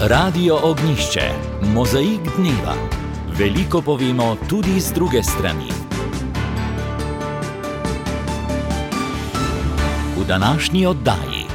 Radio Ognjišče, mozaik dneva. Veliko povemo tudi z druge strani. V današnji oddaji.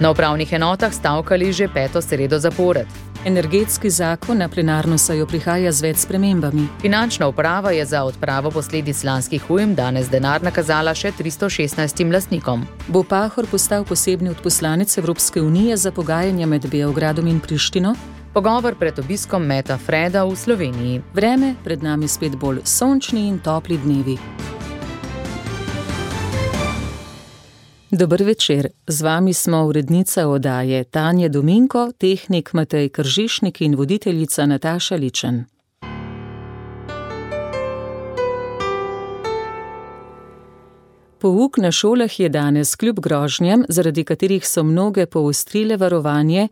Na upravnih enotah stavkali že 5. sredo zapored. Energetski zakon na plenarno sejo prihaja z več spremembami. Finančna uprava je za odpravo posledic lanskih ujm danes denar nakazala še 316 lastnikom. Bo Pahor postal posebni odposlanec Evropske unije za pogajanja med Beogradom in Prištino? Pogovor pred obiskom Meta Freda v Sloveniji. Vreme, pred nami spet bolj sončni in topli dnevi. Dober večer, z vami smo urednica oddaje Tanja Dominko, tehnik Matej Kržišnik in voditeljica Nataša Ličen. Pouk na šolah je danes kljub grožnjam, zaradi katerih so mnoge poostrile varovanje,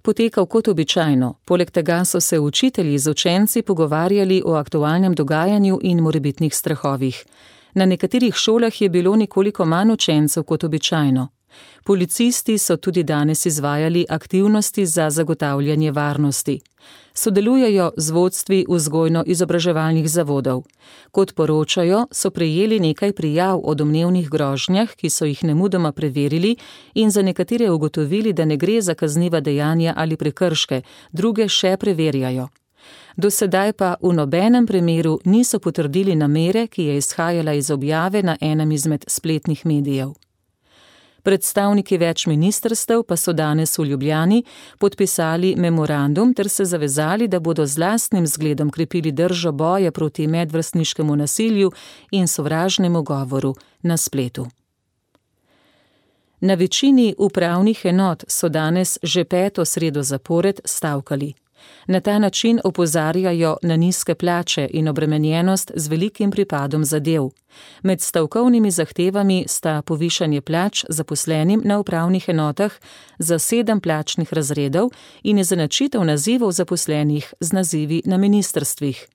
potekal kot običajno. Poleg tega so se učitelji z učenci pogovarjali o aktualnem dogajanju in morebitnih strahovih. Na nekaterih šolah je bilo nekoliko manj učencev kot običajno. Policisti so tudi danes izvajali aktivnosti za zagotavljanje varnosti. Sodelujejo z vodstvi vzgojno-izobraževalnih zavodov. Kot poročajo, so prejeli nekaj prijav o domnevnih grožnjah, ki so jih nemudoma preverili in za nekatere ugotovili, da ne gre za kazniva dejanja ali prekrške, druge še preverjajo. Do sedaj pa v nobenem primeru niso potrdili namere, ki je izhajala iz objave na enem izmed spletnih medijev. Predstavniki več ministrstev pa so danes v Ljubljani podpisali memorandum ter se zavezali, da bodo z lastnim zgledom krepili držo boja proti medvrstniškemu nasilju in sovražnemu govoru na spletu. Na večini upravnih enot so danes že 5. sredo zapored stavkali. Na ta način opozarjajo na nizke plače in obremenjenost z velikim pripadom zadev. Med stavkovnimi zahtevami sta povišanje plač zaposlenim na upravnih enotah za 7 plačnih razredov in izenačitev nazivov zaposlenih z nazivi na ministrstvih.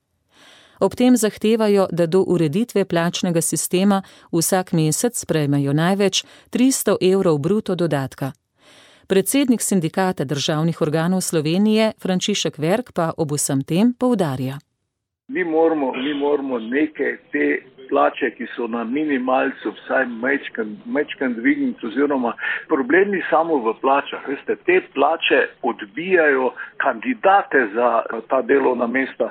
Ob tem zahtevajo, da do ureditve plačnega sistema vsak mesec prejmejo največ 300 evrov bruto dodatka. Predsednik sindikata državnih organov Slovenije, Frančišek Verk, pa ob vsem tem poudarja. Mi moramo neke te plače, ki so na minimalcu, vsaj majčken dvigniti, oziroma problem ni samo v plačah. Veste, te plače odbijajo kandidate za ta delovna mesta,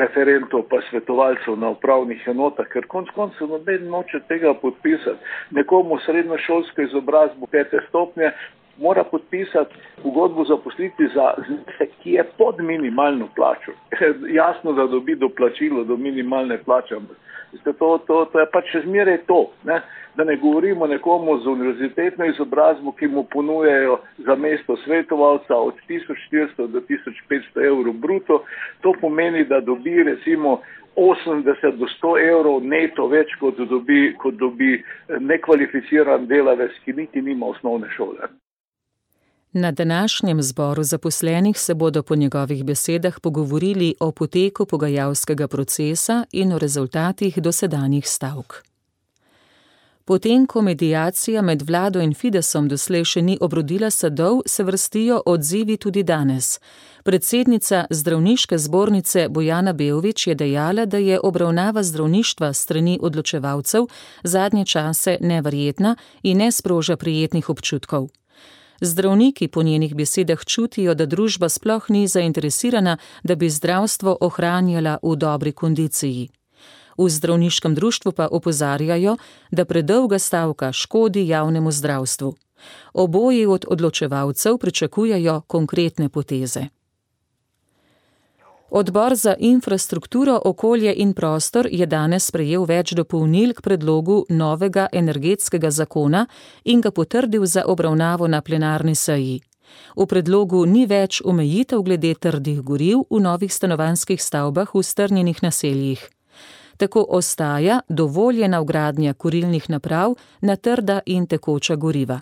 referentov pa svetovalcev na upravnih enotah, ker konec koncev noben noče tega podpisati. Nekomu srednjošolsko izobrazbo 5. stopnje mora podpisati pogodbo zaposlitvi za znesek, ki je pod minimalno plačo. Jasno, da dobi doplačilo do minimalne plače. To je pač še zmeraj to. Ne? Da ne govorimo nekomu z univerzitetno izobrazbo, ki mu ponujajo za mesto svetovalca od 1400 do 1500 evrov bruto. To pomeni, da dobi recimo 80 do 100 evrov neto več, kot dobi nekvalificiran delavec, ki niti nima osnovne šole. Na današnjem zboru zaposlenih se bodo po njegovih besedah pogovorili o poteku pogajalskega procesa in o rezultatih dosedanjih stavk. Potem, ko mediacija med vlado in Fidesom doslej še ni obrodila sadov, se vrstijo odzivi tudi danes. Predsednica zdravniške zbornice Bojana Beović je dejala, da je obravnava zdravništva strani odločevalcev zadnje čase neverjetna in ne sproža prijetnih občutkov. Zdravniki po njenih besedah čutijo, da družba sploh ni zainteresirana, da bi zdravstvo ohranjala v dobri kondiciji. V zdravniškem društvu pa opozarjajo, da predolga stavka škodi javnemu zdravstvu. Oboji od odločevalcev pričakujejo konkretne poteze. Odbor za infrastrukturo, okolje in prostor je danes sprejel več dopolnil k predlogu novega energetskega zakona in ga potrdil za obravnavo na plenarni seji. V predlogu ni več omejitev glede trdih goriv v novih stanovanjskih stavbah v strnjenih naseljih. Tako ostaja dovoljena vgradnja kurilnih naprav na trda in tekoča goriva.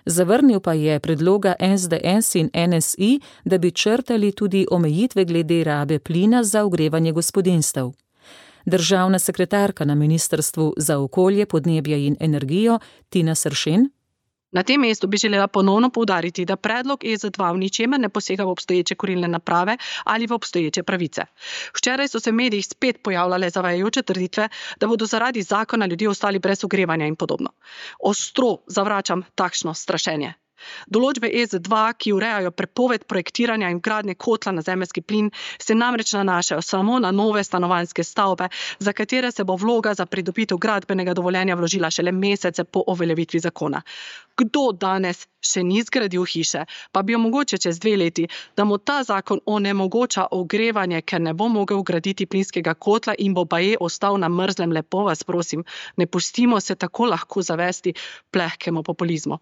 Zavrnil pa je predloga SDS in NSI, da bi črtali tudi omejitve glede rabe plina za ogrevanje gospodinjstev. Državna sekretarka na Ministrstvu za okolje, podnebje in energijo Tina Sršen. Na tem mestu bi želela ponovno poudariti, da predlog EZ2 v ničemer ne posega v obstoječe kurilne naprave ali v obstoječe pravice. Včeraj so se v medijih spet pojavljale zavajajoče trditve, da bodo zaradi zakona ljudje ostali brez ogrevanja in podobno. Ostro zavračam takšno strašenje. Določbe EZ2, ki urejajo prepoved projektiranja in vgradnje kotla na zemeljski plin, se namreč nanašajo samo na nove stanovanjske stavbe, za katere se bo vloga za pridobitev gradbenega dovoljenja vložila šele mesece po uveljavitvi zakona. Kdo danes še ni zgradil hiše, pa bi jo mogoče čez 2 leti, da mu ta zakon onemogoča ogrevanje, ker ne bo mogel graditi plinskega kotla in bo baje ostal na mrzlem, lepo vas prosim, ne pustimo se tako lahko zavesti plehkemu populizmu.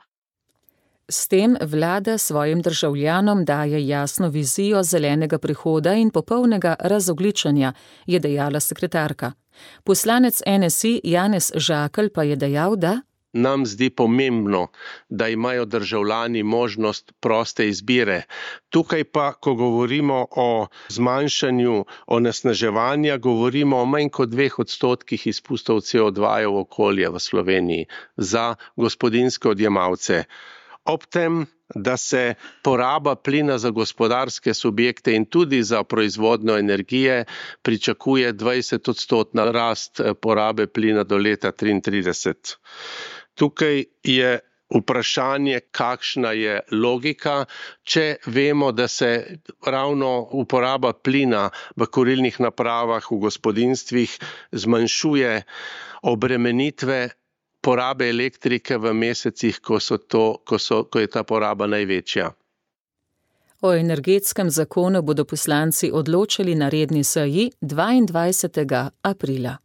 S tem vlada svojim državljanom daje jasno vizijo zelenega prehoda in popolnega razogljičenja, je dejala sekretarka. Poslanec NSI Janez Žakelj pa je dejal, da nam zdi pomembno, da imajo državljani možnost proste izbire. Tukaj pa, ko govorimo o zmanjšanju onesnaževanja, govorimo o manj kot 2% izpustov CO2 v okolje v Sloveniji za gospodinjske odjemalce. Ob tem, da se poraba plina za gospodarske subjekte in tudi za proizvodnjo energije pričakuje 20% rast porabe plina do leta 2033. Tukaj je vprašanje, kakšna je logika, če vemo, da se ravno uporaba plina v kurilnih napravah v gospodinjstvih zmanjšuje obremenitve porabe elektrike v mesecih, ko je ta poraba največja. O energetskem zakonu bodo poslanci odločili na redni seji 22. aprila.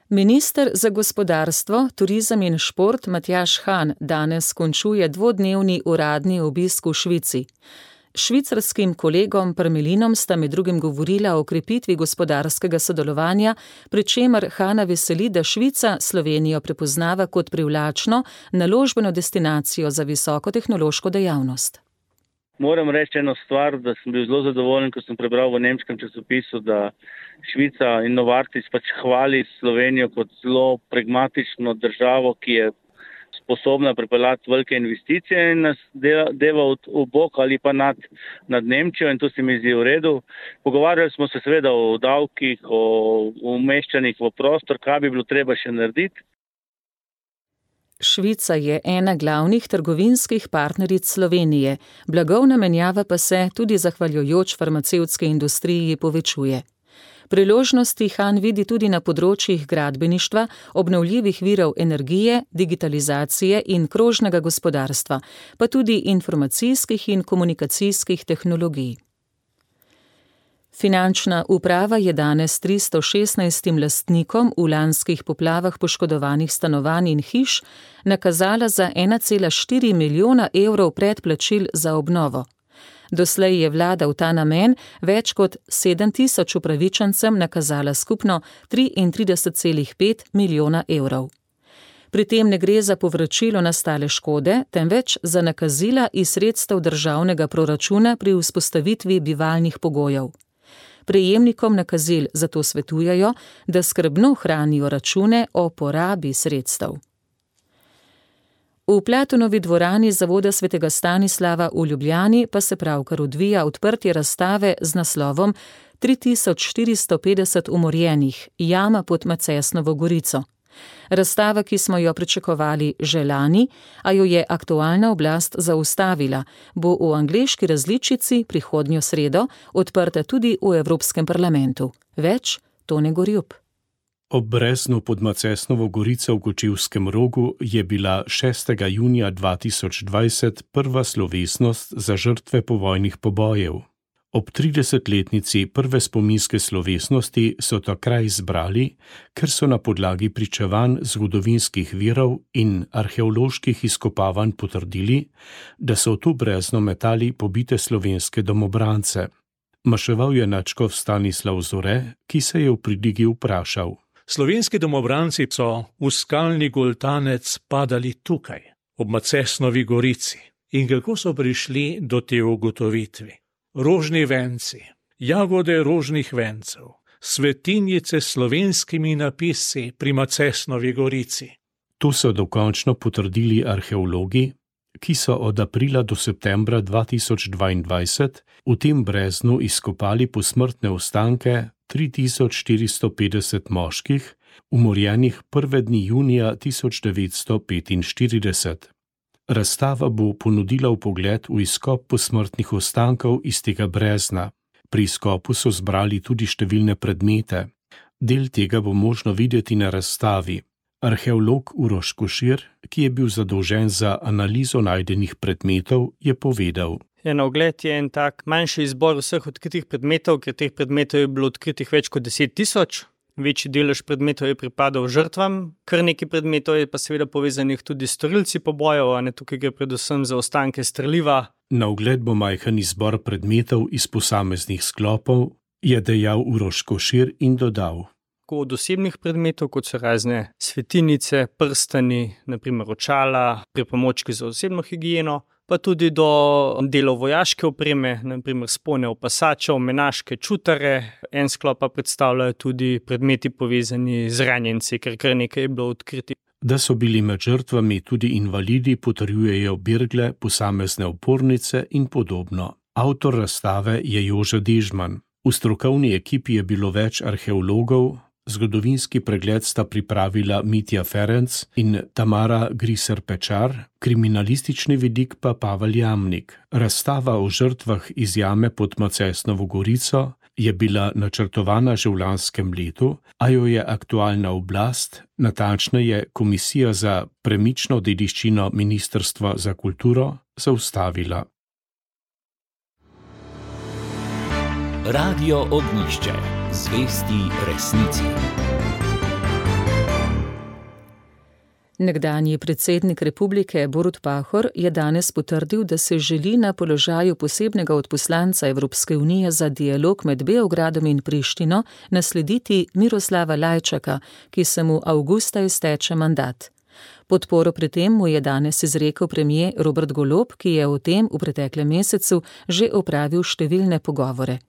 Minister za gospodarstvo, turizem in šport Matjaž Han danes končuje 2-dnevni uradni obisk v Švici. Švicarskim kolegom Parmelinom sta med drugim govorila o krepitvi gospodarskega sodelovanja, pri čemer Hana veseli, da Švica Slovenijo prepoznava kot privlačno naložbeno destinacijo za visokotehnološko dejavnost. Moram reči eno stvar, da sem bil zelo zadovoljen, ko sem prebral v nemškem časopisu, da Švica in Novartis hvali Slovenijo kot zelo pragmatično državo, ki je sposobna pripeljati velike investicije in nas deva v bok ali pa nad Nemčijo, in to se mi zdi v redu. Pogovarjali smo se seveda o davkih, o umeščanjih v prostor, kaj bi bilo treba še narediti. Švica je ena glavnih trgovinskih partneric Slovenije, blagovna menjava pa se tudi zahvaljujoč farmacevtski industriji povečuje. Priložnosti Han vidi tudi na področjih gradbeništva, obnovljivih virov energije, digitalizacije in krožnega gospodarstva, pa tudi informacijskih in komunikacijskih tehnologij. Finančna uprava je danes 316 lastnikom v lanskih poplavah poškodovanih stanovanj in hiš nakazala za 1,4 milijona evrov predplačil za obnovo. Doslej je vlada v ta namen več kot 7.000 upravičencem nakazala skupno 33,5 milijona evrov. Pri tem ne gre za povračilo nastale škode, temveč za nakazila iz sredstev državnega proračuna pri vzpostavitvi bivalnih pogojev. Prejemnikom nakazil zato svetujejo, da skrbno hranijo račune o porabi sredstev. V Platonovi dvorani Zavoda svetega Stanislava v Ljubljani pa se pravkar odvija odprtje razstave z naslovom 3450 umorjenih, jama pod Macesnovo gorico. Razstava, ki smo jo pričakovali že lani, a jo je aktualna oblast zaustavila, bo v angleški različici prihodnjo sredo odprta tudi v Evropskem parlamentu. Več Tone Gorjup. Ob Breznu pod Macesnovo gorico v Kočevskem Rogu je bila 6. junija 2020 prva slovesnost za žrtve povojnih pobojev. Ob 30-letnici prve spominske slovesnosti so ta kraj izbrali, ker so na podlagi pričevanj zgodovinskih virov in arheoloških izkopavanj potrdili, da so v to brezno metali pobite slovenske domobrance. Maševal je nadškof Stanislav Zore, ki se je v pridigi vprašal. Slovenski domobranci so v skalni goltanec padali tukaj, ob Macesnovi gorici. In kako so prišli do te ugotovitve? Rožni venci, jagode rožnih vencev, svetinjice s slovenskimi napisi pri Macesnovi gorici. To so dokončno potrdili arheologi, ki so od aprila do septembra 2022 v tem breznu izkopali posmrtne ostanke 3450 moških, umorjenih prve dni junija 1945. Razstava bo ponudila vpogled v izkop posmrtnih ostankov iz tega brezna. Pri izkopu so zbrali tudi številne predmete. Del tega bo možno videti na razstavi. Arheolog Uroš Košir, ki je bil zadolžen za analizo najdenih predmetov, je povedal. Na ogled je en tak manjši izbor vseh odkritih predmetov, ker teh predmetov je bilo odkritih več kot 10 000. Večji delež predmetov je pripadal žrtvam, kar nekaj predmetov je pa seveda povezanih tudi s storilci pobojev, a ne tukaj gre predvsem za ostanke streliva. Na ogled bo majhen izbor predmetov iz posameznih sklopov, je dejal Uroš Košir in dodal. Od osebnih predmetov, kot so razne svetinice, prstani, naprimer očala, pripomočki za osebno higieno, pa tudi do delov vojaške opreme, naprimer spone opasačev, menaške čutare. En sklop pa predstavljajo tudi predmeti povezani z ranjenci, ker kar nekaj je bilo odkriti. Da so bili med žrtvami tudi invalidi, potrjujejo birgle, posamezne opornice in podobno. Avtor razstave je Jože Dežman. V strokovni ekipi je bilo več arheologov. Zgodovinski pregled sta pripravila Mitja Ferenc in Tamara Griser-Pečar, kriminalistični vidik pa Pavel Jamnik. Razstava o žrtvah iz jame pod Macesnovo Gorico je bila načrtovana že v lanskem letu, a jo je aktualna oblast, natančneje Komisija za premično dediščino Ministrstva za kulturo, zaustavila. Radio Ognjišče. Zvesti resnici. Nekdanji predsednik republike Borut Pahor je danes potrdil, da se želi na položaju posebnega odposlanca Evropske unije za dialog med Beogradom in Prištino naslediti Miroslava Lajčaka, ki se mu avgusta izteče mandat. Podporo pri tem mu je danes izrekel premier Robert Golob, ki je o tem v preteklem mesecu že opravil številne pogovore.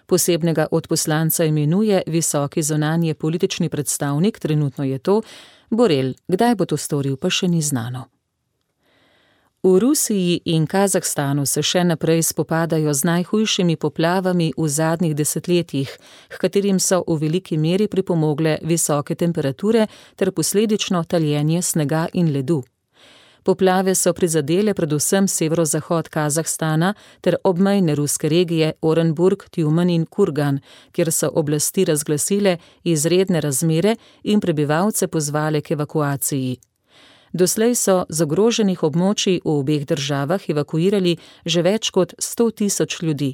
Posebnega odposlanca imenuje visoki zunanji politični predstavnik, trenutno je to Borel. Kdaj bo to storil, pa še ni znano. V Rusiji in Kazahstanu se še naprej spopadajo z najhujšimi poplavami v zadnjih desetletjih, h katerim so v veliki meri pripomogle visoke temperature ter posledično taljenje snega in ledu. Poplave so prizadele predvsem severozahod Kazahstana ter obmejne ruske regije Orenburg, Tjumen in Kurgan, kjer so oblasti razglasile izredne razmere in prebivalce pozvale k evakuaciji. Doslej so z ogroženih območij v obeh državah evakuirali že več kot 100 000 ljudi.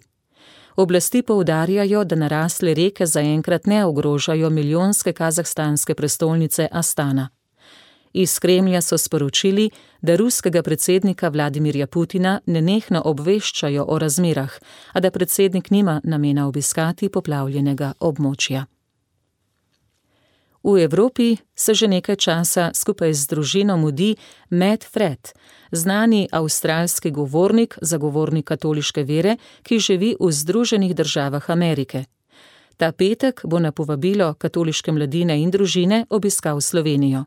Oblasti poudarjajo, da narasle reke zaenkrat ne ogrožajo milijonske kazahstanske prestolnice Astana. Iz Kremlja so sporočili, da ruskega predsednika Vladimirja Putina nenehno obveščajo o razmerah, a da predsednik nima namena obiskati poplavljenega območja. V Evropi se že nekaj časa skupaj z družino mudi Matt Fred, znani avstralski govornik, zagovornik katoliške vere, ki živi v Združenih državah Amerike. Ta petek bo na povabilo katoliške mladine in družine obiskal Slovenijo.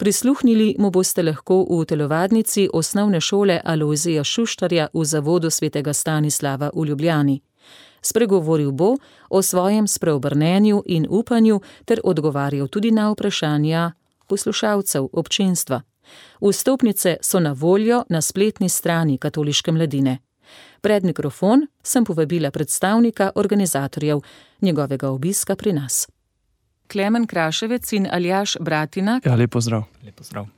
Prisluhnili mu boste lahko v telovadnici osnovne šole Alojzija Šuštarja v zavodu svetega Stanislava v Ljubljani. Spregovoril bo o svojem spreobrnenju in upanju ter odgovarjal tudi na vprašanja poslušalcev občinstva. Vstopnice so na voljo na spletni strani katoliške mladine. Pred mikrofon sem povabila predstavnika organizatorjev njegovega obiska pri nas. Klemen Kraševec in Aljaž Bratina. Ja, lep pozdrav.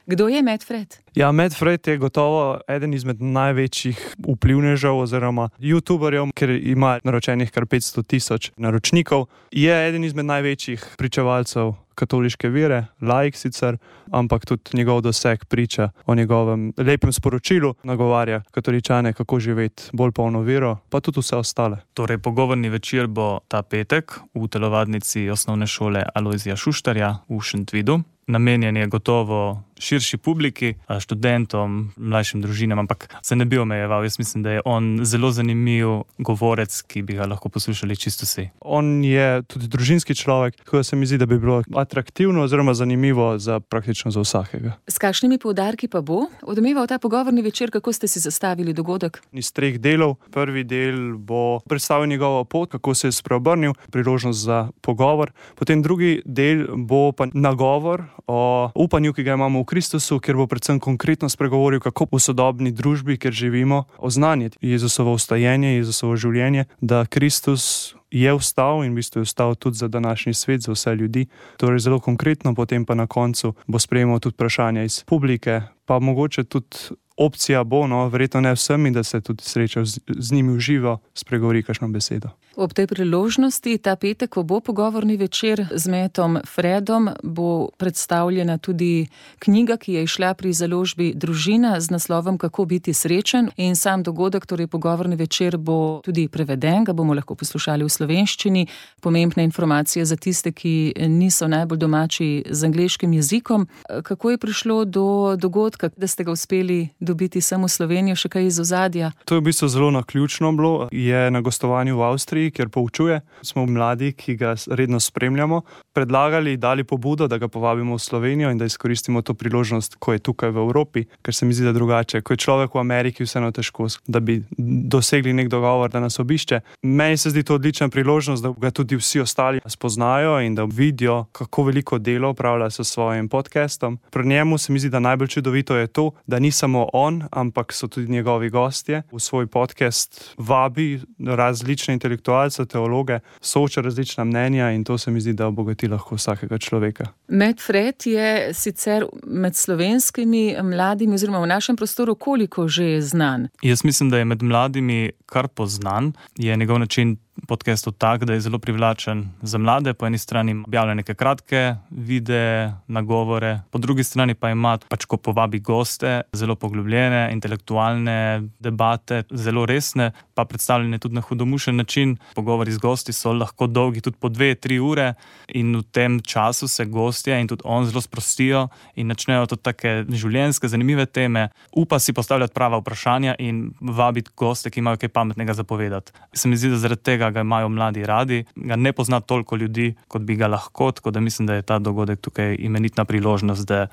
Kdo je Matt Fred? Ja, Matt Fred je gotovo eden izmed največjih vplivnežev oziroma youtuberjev, ker ima naročenih kar 500 000 naročnikov. Je eden izmed največjih pričevalcev katoliške vere, laik sicer, ampak tudi njegov doseg priča o njegovem lepem sporočilu, nagovarja katoličane, kako živeti bolj polno vero, pa tudi vse ostale. Torej, pogovorni večer bo ta petek v telovadnici osnovne šole Alojzija Šuštarja v Šentvidu. Namenjen je gotovo širši publiki, študentom, mlajšim družinam, ampak se ne bi omejeval. Jaz mislim, da je on zelo zanimiv govorec, ki bi ga lahko poslušali čisto vsi. On je tudi družinski človek, tako da se mi zdi, da bi bilo atraktivno oziroma zanimivo praktično za vsakega. S kakšnimi poudarki pa bo odmeval ta pogovorni večer, kako ste si zastavili dogodek? Iz 3 delov. Prvi del bo predstavil njegovo pot, kako se je spreobrnil, priložnost za pogovor. Potem drugi del bo pa nagovor o upanju, ki ga imamo v Kristusu, kjer bo predvsem konkretno spregovoril, kako v sodobni družbi, kjer živimo, oznanjati Jezusovo vstajenje, Jezusovo življenje, da Kristus je vstal in v bistvu je vstal tudi za današnji svet, za vse ljudi. Torej zelo konkretno, potem pa na koncu bo sprejemal tudi vprašanja iz publike, pa mogoče tudi opcija bo, verjetno ne vsemi, da se tudi sreča z njimi v živo, spregovori kakšno besedo. Ob tej priložnosti, ta petek, ko bo pogovorni večer z Mattom Fredom, bo predstavljena tudi knjiga, ki je izšla pri založbi Družina z naslovom Kako biti srečen, in sam dogodek, torej pogovorni večer, bo tudi preveden, ga bomo lahko poslušali v slovenščini. Pomembne informacije za tiste, ki niso najbolj domači z angleškim jezikom. Kako je prišlo do dogodka, da ste ga uspeli dobiti sem v Slovenijo, še kaj iz ozadja? To je v bistvu zelo naključno bilo. Je na gostovanju v Avstriji, kjer poučuje. Smo mladi, ki ga redno spremljamo, predlagali, dali pobudo, da ga povabimo v Slovenijo in da izkoristimo to priložnost, ko je tukaj v Evropi, ker se mi zdi, da drugače. Ko je človek v Ameriki, vseeno težko, da bi dosegli nek dogovor, da nas obišče. Meni se zdi to odlična priložnost, da ga tudi vsi ostali spoznajo in da vidijo, kako veliko delo opravlja s svojim podcastom. Pri njemu se mi zdi, da najbolj čudovito je to, da ni samo on, ampak so tudi njegovi gostje. V svoj podcast vabi različne intelektualce, teologe, sooča različna mnenja in to se mi zdi, da obogati lahko vsakega človeka. Matt Fred je sicer med slovenskimi mladimi oziroma v našem prostoru koliko že znan? Jaz mislim, da je med mladimi kar poznan. Je njegov način podcastov tak, da je zelo privlačen za mlade. Po eni strani objavlja neke kratke videe, nagovore, po drugi strani pa ima, ko povabi goste, zelo poglobljene, intelektualne debate, zelo resne, pa predstavljene tudi na hudomušen način. Pogovori z gosti so lahko dolgi tudi po 2-3 ure in v tem času se gostje in tudi on zelo sprostijo in načnejo tudi take življenjske, zanimive teme. Upa si postavljati prava vprašanja in vabiti goste, ki imajo kaj pametnega zapovedati. Se mi zdi, da zaradi tega ga imajo mladi radi, ga ne pozna toliko ljudi, kot bi ga lahko, tako da mislim, da je ta dogodek tukaj imenitna priložnost, da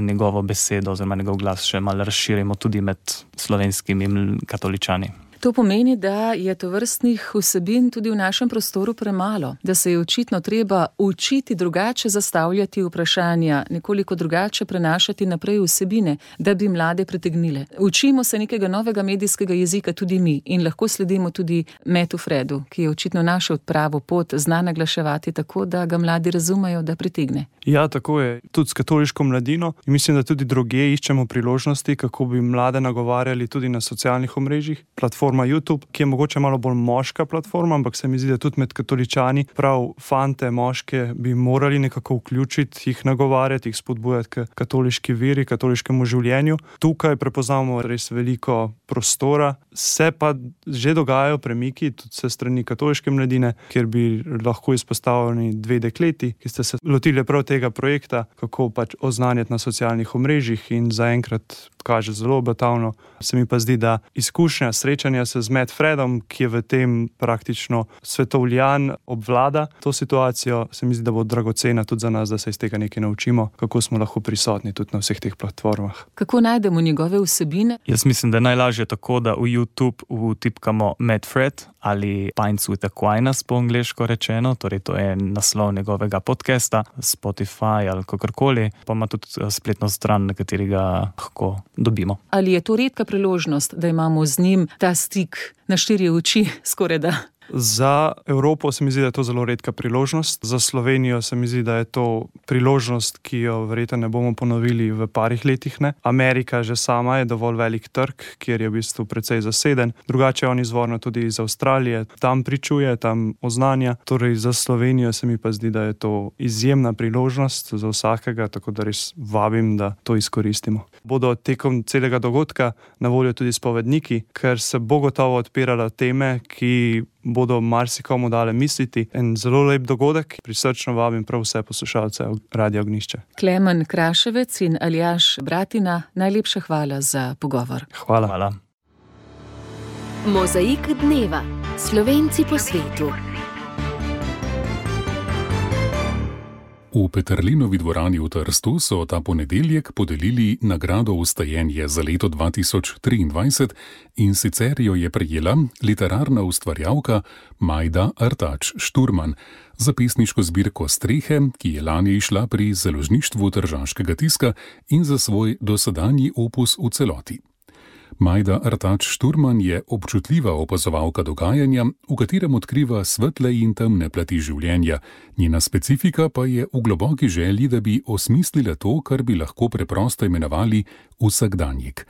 njegovo besedo oziroma njegov glas še malo razširimo tudi med slovenskimi katoličani. To pomeni, da je tovrstnih vsebin tudi v našem prostoru premalo, da se je očitno treba učiti drugače zastavljati vprašanja, nekoliko drugače prenašati naprej vsebine, da bi mlade pritegnile. Učimo se nekega novega medijskega jezika tudi mi in lahko sledimo tudi Mattu Fredu, ki je očitno našel pravo pot, zna naglaševati tako, da ga mladi razumejo, da pritegne. Ja, tako je. Tudi s katoliško mladino in mislim, da tudi drugje iščemo priložnosti, kako bi mlade nagovarjali tudi na socialnih omrežjih. Platforma YouTube, ki je mogoče malo bolj moška platforma, ampak se mi zdi, da tudi med katoličani prav fante, moške bi morali nekako vključiti, jih nagovarjati, jih spodbujati k katoliški veri, katoliškemu življenju. Tukaj prepoznamo res veliko prostora. Se pa že dogajajo premiki tudi se strani katoliške mladine, kjer bi lahko izpostavljeni 2 dekleti, ki ste se lotili prav tega projekta, kako oznanjati na socialnih omrežjih in zaenkrat kaže zelo obetavno. Se mi pa zdi, da izkušnja srečanja se z Matt Fredom, ki je v tem praktično svetovljan, obvlada to situacijo, se mi zdi, da bo dragocena tudi za nas, da se iz tega nekaj naučimo, kako smo lahko prisotni tudi na vseh teh platformah. Kako najdemo njegove vsebine? Jaz mislim, da je najlažje tako, da v YouTube vtipkamo Matt Fred ali Pints with Aquinas po angleško rečeno, torej to je naslov njegovega podcasta, Spotify ali kakorkoli, pa ima tudi spletno stran, na kateri ga lahko dobimo. Ali je to redka priložnost, da imamo z njim ta stik na 4 oči, skorajda? Za Evropo se mi zdi, da je to zelo redka priložnost. Za Slovenijo se mi zdi, da je to priložnost, ki jo verjetno ne bomo ponovili v parih letih. Ne. Amerika že sama je dovolj velik trg, kjer je v bistvu precej zaseden. Drugače on izvorno tudi iz Avstralije. Tam pričuje, tam oznanja. Torej za Slovenijo se mi pa zdi, da je to izjemna priložnost za vsakega, tako da res vabim, da to izkoristimo. Bodo tekom celega dogodka na voljo tudi spovedniki, ker se bo gotovo odpirale teme, ki bodo marsikomu dale misliti. En zelo lep dogodek, prisrčno vabim prav vse poslušalce Radia Ognjišče. Klemen Kraševec in Aljaž Bratina, najlepša hvala za pogovor. Hvala. Mozaik dneva. Slovenci po svetu. V Peterlinovi dvorani v Trstu so ta ponedeljek podelili nagrado Vstajenje za leto 2023 in sicer jo je prejela literarna ustvarjalka Majda Artač Šturman za pesniško zbirko Strehe, ki je lani išla pri Založništvu Tržaškega tiska in za svoj dosedanji opus v celoti. Majda Artač Šturman je občutljiva opazovalka dogajanja, v katerem odkriva svetle in temne plati življenja. Njena specifika pa je v globoki želji, da bi osmislila to, kar bi lahko preprosto imenovali vsakdanjik.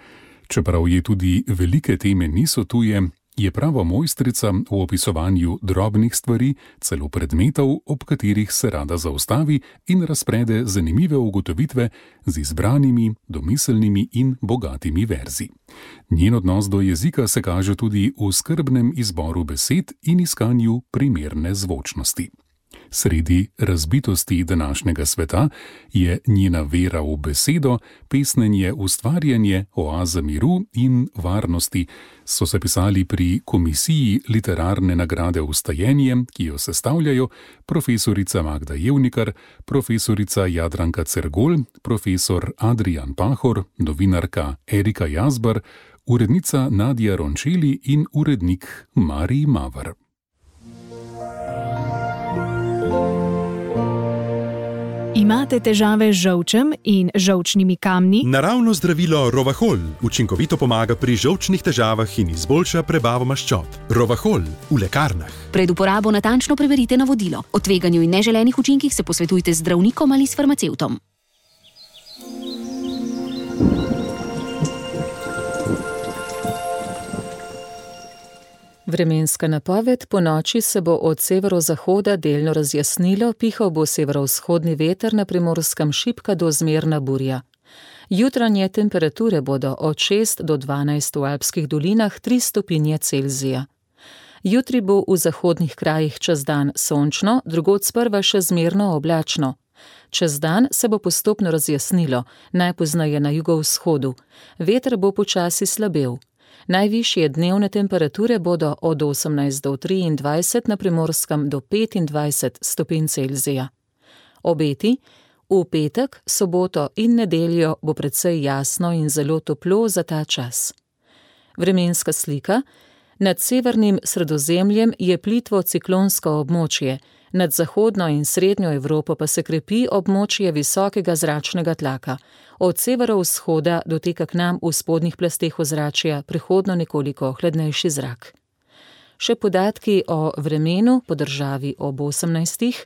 Čeprav je tudi velike teme niso tuje, je prava mojstrica v opisovanju drobnih stvari, celo predmetov, ob katerih se rada zaustavi in razprede zanimive ugotovitve z izbranimi, domiselnimi in bogatimi verzi. Njen odnos do jezika se kaže tudi v skrbnem izboru besed in iskanju primerne zvočnosti. Sredi razbitosti današnjega sveta je njena vera v besedo, pesnenje, ustvarjanje, oaza miru in varnosti, so se pisali pri komisiji literarne nagrade Vstajenje, ki jo sestavljajo profesorica Magda Jevnikar, profesorica Jadranka Cergol, profesor Adrijan Pahor, novinarka Erika Jazbar, urednica Nadja Rončeli in urednik Marij Mavar. Imate težave z žolčem in žolčnimi kamni? Naravno zdravilo Rovahol učinkovito pomaga pri žolčnih težavah in izboljša prebavo maščob. Rovahol v lekarnah. Pred uporabo natančno preverite navodilo. O tveganju in neželenih učinkih se posvetujte z zdravnikom ali s farmacevtom. Vremenska napoved: po noči se bo od severozahoda delno razjasnilo, pihal bo severovzhodni veter, na Primorskem šibka do zmerna burja. Jutranje temperature bodo od 6 do 12 v alpskih dolinah, 3 stopinje Celzija. Jutri bo v zahodnih krajih čez dan sončno, drugod sprva še zmerno oblačno. Čez dan se bo postopno razjasnilo, najpozneje na jugovzhodu. Veter bo počasi slabel. Najvišje dnevne temperature bodo od 18 do 23, na Primorskem do 25 stopinj Celzija. Obeti: v petek, soboto in nedeljo bo precej jasno in zelo toplo za ta čas. Vremenska slika: nad severnim Sredozemljem je plitvo ciklonsko območje, nad zahodno in srednjo Evropo pa se krepi območje visokega zračnega tlaka. Od severovzhoda doteka k nam v spodnjih plasteh ozračja prehodno nekoliko hladnejši zrak. Še podatki o vremenu po državi ob 18.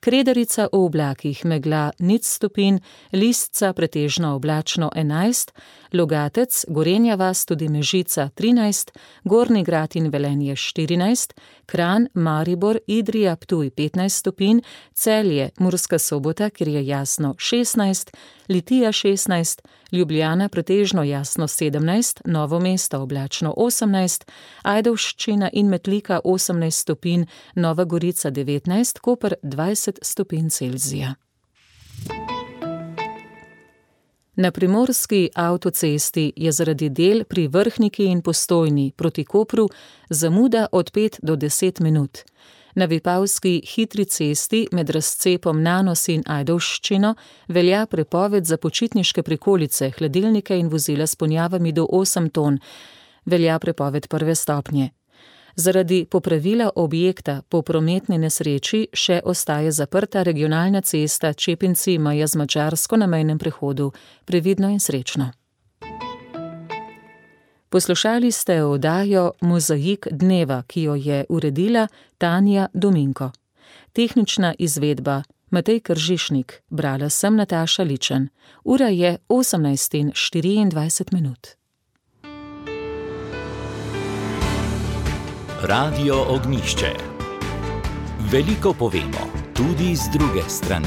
Kredarica v oblakih, megla 0 stopinj, Listca pretežno oblačno 11, Logatec, Gorenja vas, tudi Mežica 13, Gornji Grad in Velenje 14, Kranj, Maribor, Idrija, Ptuj 15 stopinj, Celje, Murska Sobota, kjer je jasno 16, Litija 16, Ljubljana pretežno jasno 17, Novo mesto oblačno 18, Ajdovščina in Metlika 18 stopinj, Nova Gorica 19, Koper 20 stopinj Celzija. Na primorski avtocesti je zaradi del pri Vrhniki in Postojni proti Kopru zamuda od 5 do 10 minut. Na Vipavski hitri cesti med razcepom Nanos in Ajdovščino velja prepoved za počitniške prikolice, hladilnike in vozila s ponjavami do 8 ton. Velja prepoved 1. stopnje. Zaradi popravila objekta po prometni nesreči še ostaje zaprta regionalna cesta Čepinci meja z Madžarsko na mejnem prehodu. Previdno in srečno. Poslušali ste oddajo Mozaik dneva, ki jo je uredila Tanja Dominko. Tehnična izvedba Matej Kržišnik, brala sem Nataša Ličen. Ura je 18:24. Radio Ognjišče. Veliko povemo, tudi z druge strani.